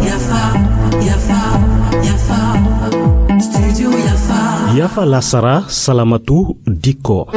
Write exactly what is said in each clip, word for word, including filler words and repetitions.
Yafa, yafa, yafa. Studio Yafa. Yafa lasara, salamatu dikko.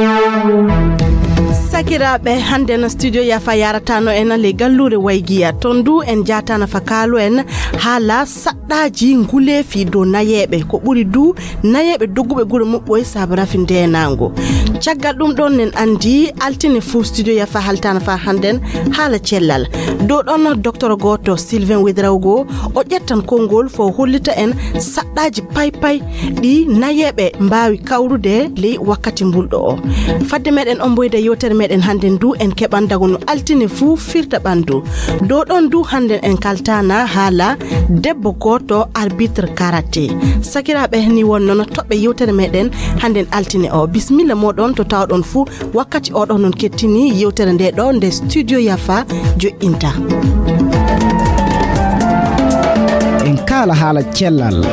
Sakiraaɓe, hannde no studio Yafa yaratano en le galluure Waygiya. Ton du en jaatana fa kaalu en haala saɗɗaaji nguleefi dow nayeeɓe. Ko ɓuri du nayeeɓe dogguɓe gure muɓɓoy sabu rafi ndeenaango. Caggal ɗum ɗon nen anndi altine fuu studio Yafa haltana fa hannden haala cellal. Dow ɗon docteur gooto Sylvain Wedrawgo o ƴettan konngol fo hollita en saɗɗaaji paypay ɗi nayeeɓe mbaawi kawrude ley wakkati mbulɗo o. Fadde meɗen omboyde yewtere meɗen hannden du en keɓan dago no altine fuu firta ɓanndu. Dow ɗon du hannden en kaltana haala debbo gooto arbitre karaté. Sakiraaɓe ni won noon toɓɓe yewtere meɗen hannden altine o. Bismilla moɗon to tawɗon fuu wakkati oɗo noon kettini yewtere nde ɗo nde studio Yafa joɗɗinta. En kaala haala cellal.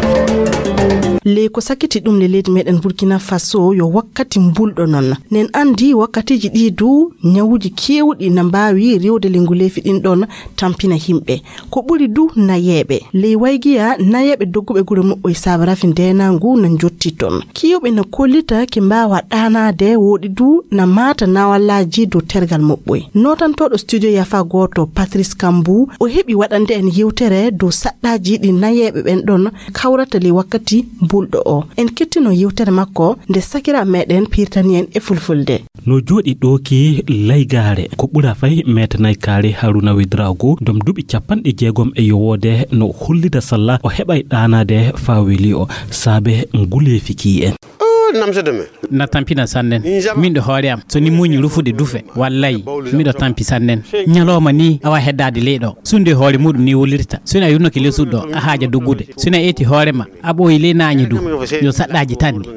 Ley ko sakiti ɗum le leydi meɗen Burkina Faso yo wakkati mbulɗo noon. Nen anndi wakkatiiji ɗi du ñawuuji keewɗi na mbaawi rewde le nguleefi ɗin ɗon tampina yimɓe. Ko ɓuri du nayeeɓe. Ley Waygiya nayeeɓe dogguɓe gure muɓɓoy sabu rafi ndeenaangu na njotti ton. Kiyuɓe na kollita ki mbaawa ɗaanaade woɗi du na maata nawallaaji dow tergal muɓɓoy. Nootantooɗo studio Yafa gooto Patrice Kambu o heɓi waɗande en yewtere dow saɗɗaaji ɗi nayeeɓe ɓen ɗon kawrata ley wakkati mbulɗo o. En kettino yewtere makko nde sakira meɗen pirtani en e fulfulde. No jooɗi ɗo ki laygaare ko ɓura fay meetanay kaare Haruna Wedrago dom duuɓi capanɗe jeegom e yowoode no hollida salla o heɓay ɗaanaade faa weli o saabe nguleefi ki en. Oh, namsede me. Na tampina sannen. Min ɗo hoore am, so ni muuñi rufude dufe, wallay, miɗo tampi sannen. Ñalooma ni, awa heddaade ley ɗo. Sunde hoore muɗum ni wulirta. So ni a yurnoke ley suudu ɗo, a haaja duggude. So ni a eti hoore ma, a ɓooyi ley naañi du. Yo saɗɗaaji tan ni.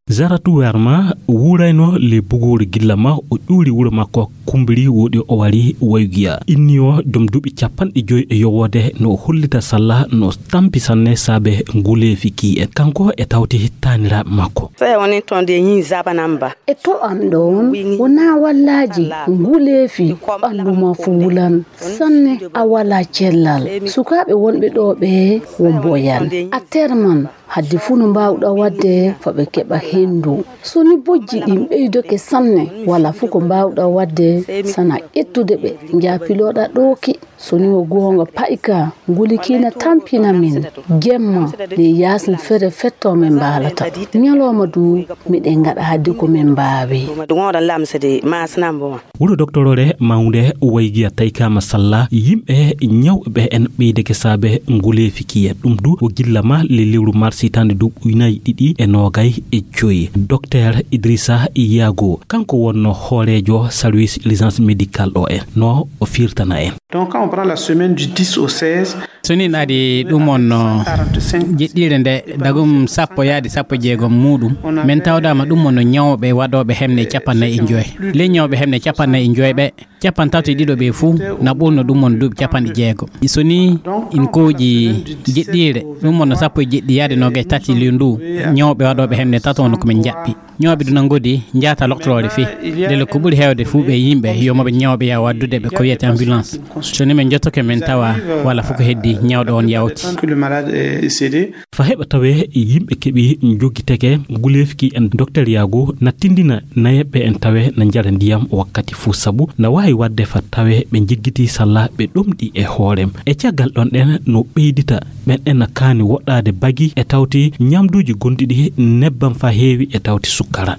Zaratu Werma wuurayno le bugoore gilla ma, o ƴuuri wuro makko Kumbiri, woɗi o wari Waygiya. Inni o dom duuɓi capanɗe joy e yowoode no o hollita salla no tampi sanne saabe nguleefi ki en. Kanko e tawti taaniraaɓe makko. Sɛ wani tɔn de yin zaba namba. E to am ɗon wona wallaaji nguleefi ɓanndu ma fu wulan. Sanne a wala cellal. Sukaaɓe wonɓe ɗo ɓe wo mboyan. A terman. Hadde fuu no mbaawɗaa waɗde faa ɓe keɓa henndu. So ni bojji ɗin ɓeydoke sanne, walaa fuu ko mbaawɗaa waɗde sana ƴettude ɓe, njaa pilooɗaa ɗooki. So ni wo goonga payka, nguli kii na tampina min. Jemma, ley yaasin fere fettoo min mbaalata. Ñalooma du, miɗen ngaɗa hadde ko min mbaawi. Wuro doktoroore mawnde Waygiya taykaama salla, yimɓe ñawɓe ɓe en ɓeydeke saabe nguleefi ki en. Ɗum du o gilla ma le lewru mars hitaande duuɓi ujunnaaji ɗiɗi e noogay e joy. Docteur Idrissa Yago, kanko wonno hooreejo service urgence médical o en, no o firtana en. Donc, quand on prend la semaine du dix au seize, so ni naadi ɗum on no jeɗɗiire nde dagum sappo yaadi sappo jeegom muɗum, min tawdama ɗum on no ñawɓe waɗoɓe hemne capannayi e joy. Ley ñawɓe hemne capannayi e joy ɓe, capantato e ɗiɗo ɓe fuu na ɓurno ɗum on duuɓi capanɗe jeego. So ni in kooƴi jeɗɗiire ɗum on no sappo e jeɗɗi yaade noogay tati ley ndu, ñawɓe waɗoɓe hemne tato on ko min jaɓɓi. Ñawɓe du na ngodi njaata loktoroore fii. Ndele ko ɓuri heewde fuu ɓe yimɓe yo moɓe ñawɓe yaa waddude ɓe ko wiyete ambulance. So ni min jottoke min tawa wala fof ko heddi ñawɗo on yawti. Fa heɓa tawe yimɓe keɓi jogiteke nguleefki en. Docteur Yago na tindina nayeɓɓe en tawe na njara ndiyam wakkati fuu, sabu na waawi waɗde fa tawe ɓe njiggiti salla ɓe ɗomɗi e hoorem. E caggal ɗon ɗen no ɓeydita ɓen en na kaani woɗɗaade bagi e tawti ñamduuji gonɗiɗi nebbam fa heewi e tawti sukkara.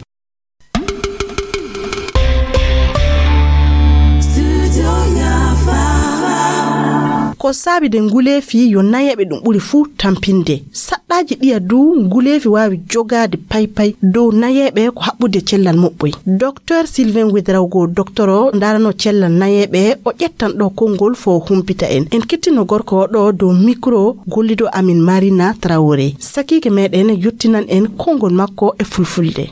Ko saabi de nguleefi yo nayeeɓe ɗum ɓuri fuu tampinde. Saɗɗaaji ɗiya du nguleefi waawi jogaade paypay dow nayeeɓe ko haɓɓude cellal moɓɓoy. Docteur Sylvain Ouedraogo, docteur o ndaarano cellal nayeeɓe, o ƴettan ɗo konngol fo humpita en. En kettino gorko o ɗo dow micro gollido amin Marina Traoré. Sakiike meɗen yottinan en konngol makko e fulfulde.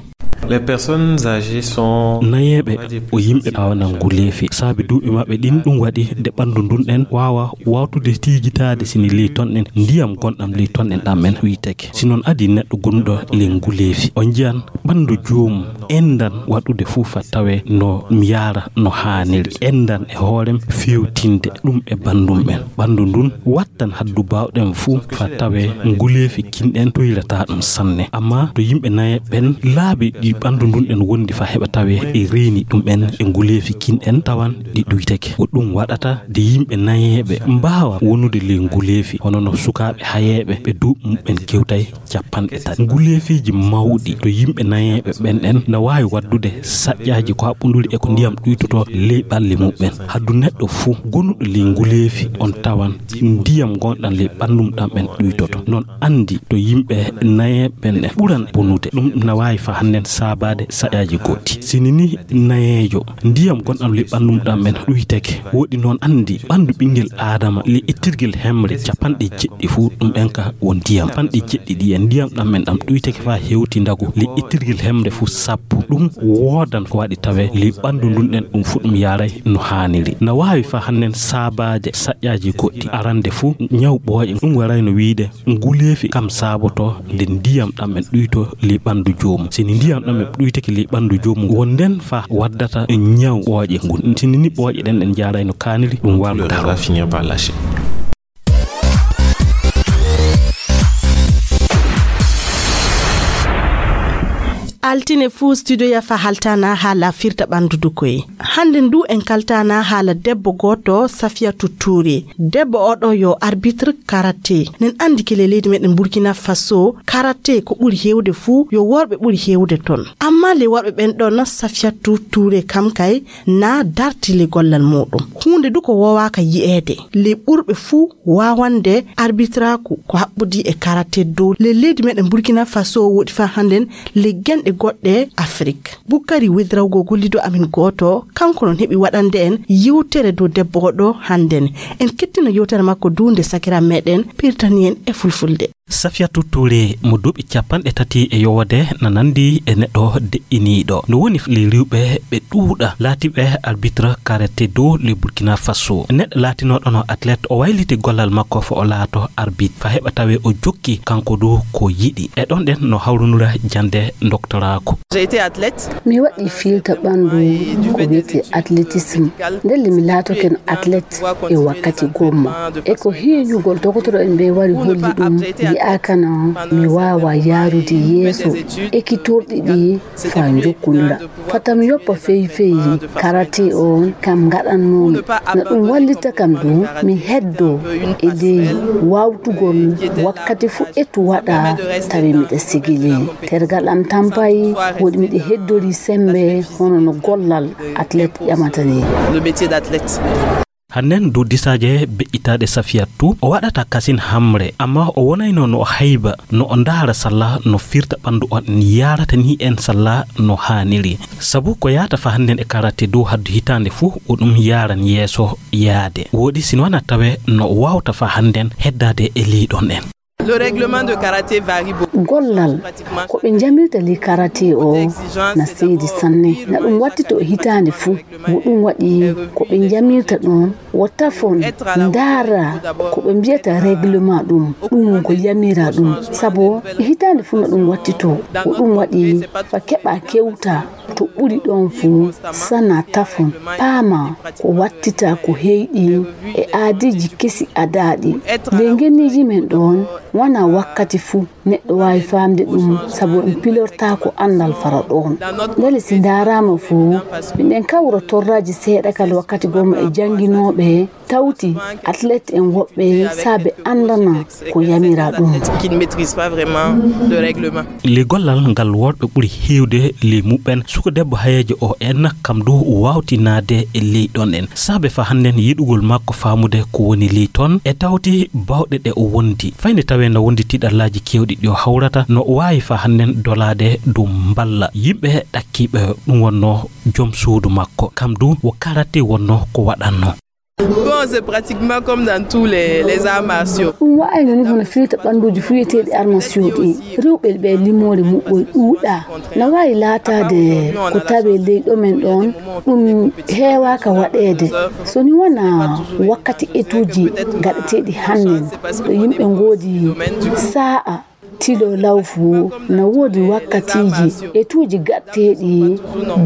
Les personnes âgées sont nayeeɓe o yimɓe awana nguleefi saabi duuɓi maɓɓe ɗin. Ɗum waɗi nde ɓanndu ndun ɗen waawa wawtude tiigitaade sini ley ton ɗen ndiyam gonɗam ley ton ɗen ɗam men ɗuyteke. Si noon adii neɗɗo gonuɗo ley nguleefi, o njiyan ɓanndu joomum endan waɗude fuu fa tawe no yaara no haaniri. Endan e hoorem fewtinde ɗum e banndum ɓen. Ɓanndu ndun wattan haddu baawɗen fuu fa tawe nguleefi kin ɗen tuyrataa ɗum sanne. Amma to yimɓe nayeeɓe ɓen laabi ɗi ɓanndu ndun ɗen wondi fa heɓa tawe e reeni ɗum ɓen e nguleefi kin ɗen tawan ɗi ɗuyteke. Ko ɗum waɗata de yimɓe nayeeɓe mbaawa wonude ley nguleefi, hono no sukaaɓe hayeeɓe ɓe duuɓi muɓɓen kewtay capanɗe tati. Nguleefiiji mawɗi to yimɓe nayeeɓe ɓen ɗen na waawi waddude saƴƴaaji ko haɓɓunduri e ko ndiyam ɗuytotoo ley ɓalli muɓɓen. Haddu neɗɗo fuu gonuɗo ley nguleefi on tawan ndiyam gonɗan ley ɓanndu mum ɗan ɓen ɗuytoto. Noon anndi to yimɓe nayeeɓe ɓen ɗen ɓuran bonude. Ɗum na waawi fa hannden saabaade saƴƴaaji goɗɗi. Sini ni nayeejo ndiyam gonɗam ley ɓanndu mum ɗan ɓen ɗuyteke, woɗi noon anndi ɓanndu ɓinngel Aadama ley ittirgel hemre capanɗe jeɗɗi fuu ɗum en ka won ndiyam. Capanɗe jeɗɗi ɗi en ndiyam ɗam men ɗam ɗuyteke faa hewti ndagu ley ittirgel hemre fuu sappo. Ɗum woodan ko waɗi tawe ley ɓanndu ndun ɗen ɗum fuu ɗum yaaray no haaniri. Na waawi faa hannden saabaade saƴƴaaji goɗɗi. Arande fuu ñaw ɓooƴe ɗum waray no wiide nguleefi kam saaboto nde ndiyam ɗam en ɗuyto ley ɓanndu joomum. Sini ndiyam ɗam en ɗuyteke ley ɓanndu joomum, won nden fa waddata ñaw ɓooƴe ngun. Sini ni ɓooƴe ɗen ɗen jaaray no kaaniri ɗum warta. Altine fuu studio ya fa haltana haala firta ɓanndu dukoye. Hannde ndu en kaltana haala debbo gooto, Safiatou Touré. Debbo oɗo yo arbitre karate. Nen anndi kele leydi meɗen Burkina Faso, karate ko ɓuri heewde fuu, yo worɓe ɓuri heewde ton. Amma le worɓe ɓen ɗon, Safiatou Touré kam kay na darti le gollal muɗum. Huunde du ko woowaaka yi'eede. Le ɓurɓe fuu waawande arbitraaku ko haɓɓudi e karate dow le leydi meɗen Burkina Faso woɗi faa hannden le genɗe goɗɗe Afrik. Bukkari Wedrawgo gollido amin gooto, kanko non heɓi waɗande en yewtere dow debbo oɗo hannden. En kettino yewtere makko du nde sakira meɗen pirtani en e fulfulde. Safiatou Touré mo duuɓi capanɗe tati e yowode na nandi e neɗɗo deƴƴiniiɗo. No woni le riwɓe ɓe ɗuuɗa laatiɓe arbitre karate dow le Burkina Faso. Neɗɗo laatinoɗo no athlète o wayliti gollal makko fo o laato arbitre fa heɓa tawe o jokki kanko du ko yiɗi. E ɗon ɗen no hawrunura jande doctorat ko. J'ai été athlète. Mi waɗi fiilta ɓanndu ko wiyetee athlétisme. Ndelle mi laatoken athlète e wakkati gomma. E ko heeñugol dogotoro'en ɓe wari holli ɗum, yi'aakano mi waawa yaarude yeeso ekkitorɗi ɗi faa njokkondira. Fata mi yoppa fey fey karate on kam ngaɗannoomi. No ɗum wallita kam du mi heddo e ley waawtugol wakkati fuu etu waɗa tawi miɗa sigili. Tergal am tampay woɗi miɗa heddori sembe hono no gollal athlète ƴamata ni. Le métier d'athlète. Hannen dow disaaje beƴƴitaaɗe Safiatou, o waɗata kasin hamre, amma o wonayno no o hayba, no o ndaara salla no firta ɓanndu on yaarata ni en salla no haaniri. Sabu ko yaata fa hannden e karate dow haddu hitaande fuu, o ɗum yaaran yeeso yaade. Woɗi sino wana tawe no o waawta fa hannden heddaade e leyɗon en. Le règlement de karaté varie beaucoup. Gollal ko ɓe njamirta ley karate o na seedi sanne. Na ɗum wattito hitaande fuu. Ko ɗum waɗi ko ɓe njamirta ɗon wo tafon ndaara ko ɓe mbiyata règlement ɗum. Ɗum ko yamira ɗum. Sabu hitaande fuu na ɗum wattito. Ko ɗum waɗi fa keɓa kewta to ɓuri ɗon fuu, sana tafon, paama ko wattita ko heyɗi e aadiiji kesi adaaɗi. Ley ngenniiji men ɗon, wanaa wakkati fuu neɗɗo waawi faamde ɗum, sabu en pilortaako anndal fara ɗon. Ndelle si ndaaraama fuu, miɗen kawra torraaji seeɗa kala wakkati gomma e jannginooɓe, tawti athlète en woɓɓe saabe anndana ko yamira ɗum. Qui ne maîtrise pas vraiment le règlement. Le gollal ngal worɓe ɓuri heewde le muɓɓen, suka debbo hayeejo o en kam du waawtinaade e ley ɗon en. Saabe fa hannden yiɗugol makko faamude ko woni ley ton e tawti baawɗe ɗe o wondi. Fayde tawee no wondi tiiɗallaaji keewɗi ɗi o hawrata, no waawi fa hannden dolaade dow mballa yimɓe ɗakkiiɓe ɗum wonnoo jom suudu makko. Kam du wo karate wonnoo ko waɗannoo. Bon, c'est pratiquement comme dans tous les, les arts martiaux. Ɗum wa'ayno ni hono firta ɓannduuji fuyeteeɗi armasiyo ɗi. Rewɓe ɓe limoore muɓɓoy ɗuuɗa. Na waawi laataade ko tawee ley ɗo men ɗoon, ɗum heewaaka waɗeede. So ni wonaa wakkati etuuji gaɗeteeɗi hannden, ɗo yimɓe ngoodi saa'a tilo lawfu, na woodi wakkatiiji etuuji gaɗeteeɗi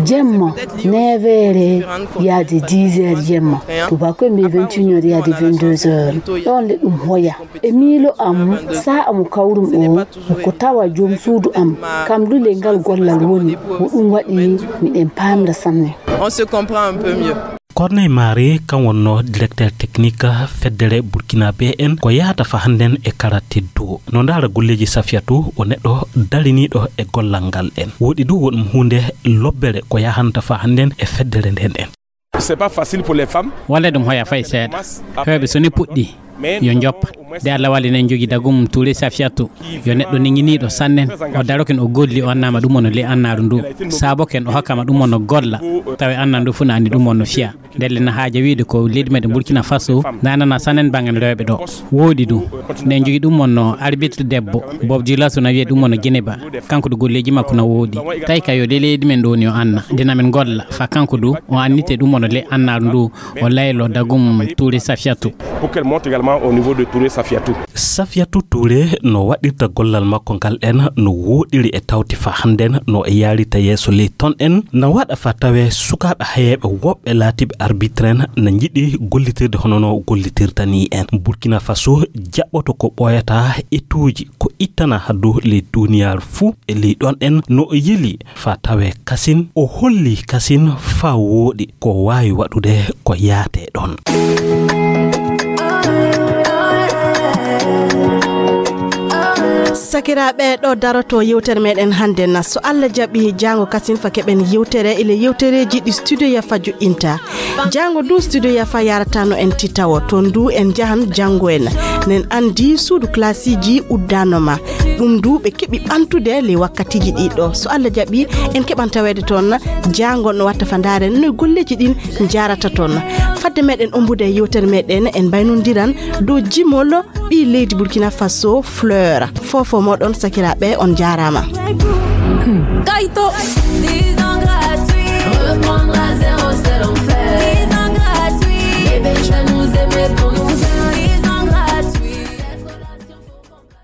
jemma, neeweere yaade dix heures jemma, tubaakoy mbiya vingt et une heures yaade vingt-deux heures. Ɗoon le ɗum hoya. E miilo am, saa'a mo kawrum o, ko tawa joom suudu am, kam lule ngal gollal woni, ko ɗum waɗi miɗen paamira sanne. On se comprend un peu mieux. Corneille Mari, kan wonno directeur technique feddere Burkina B N, ko yahata fa hannden e karaté do. No ndaara golleeji Safiyatu, o neɗɗo dariniiɗo e gollal ngal en. Woodi du wonɗum huunde lobbere ko yahanta fa hannden e feddere nden en. C'est pas facile pour les femmes. Wala ɗum hoya fay seeɗa. Heewɓe so ni puɗɗi, yo njoppa. De Allah walli en jogii dagum Touré Safiyatu. Yo neɗɗo neŋiniiɗo sannen. O daroken o golli o annaama ɗum wonno le annaaru ndu. Saaboken o hokkama ɗum wonno golla. Tawi annaa ndu fu na anndi ɗum wonno fiya. Ndelle na haaja wiide ko leydi meɗen Burkina Faso nanana sannen bangen rewɓe ɗo. Woodi du. Ne jogii ɗum wonno arbitre debbo. Bob Dioulasso na wiye ɗum wonno Geneba. Kanko du golleeji makko na woodi. Tawi ka yo le leydi men ɗo ni o anna. Dina men golla. Fa kanko du o annite ɗum wonno le annaaru ndu. O laylo dagum Touré Safiyatu. Pour qu'elle monte également au niveau de Touré Safiyatu. Safiyatu Touré no waɗirta gollal makko ngal en no wooɗiri e tawti fa hannden no e yaarita yeeso ley ton en na waɗa fa tawe sukaaɓe hayeeɓe woɓɓe laatiiɓe arbitre en na njiɗi gollitirde hono no gollitirta ni en. Burkina Faso jaɓɓoto ko ɓooyata etuuji ko ittana haddu ley duniyaaru fuu e ley ɗon en no o yeli fa tawe kasin o holli kasin fa wooɗi ko waawi waɗude ko yaate ɗon. Sakiraaɓe, ɗo daroto yewtere meɗen hannde na so Allah jaɓi jaango kasin fa keɓen yewtere ile yewtereeji ɗi studio yafa joɗɗinta. Jaango du studio yafa yaratano en titawo ton du en jahan janngo en nen anndi suudu classiiji uddanoma. Ɗum du ɓe keɓi ɓantude ley wakkatiiji ɗiɗo. So Allah jaɓi, en keɓan taweede toon jaango no watta fa ndaaren no golleeji ɗin njaarata toon. Fadde meɗen ombude e yewtere meɗen, en mbaynondiran dow jimol ɓii leydi Burkina Faso, Fleur. Fofo moɗon sakiraaɓe, on njaaraama. Kayto.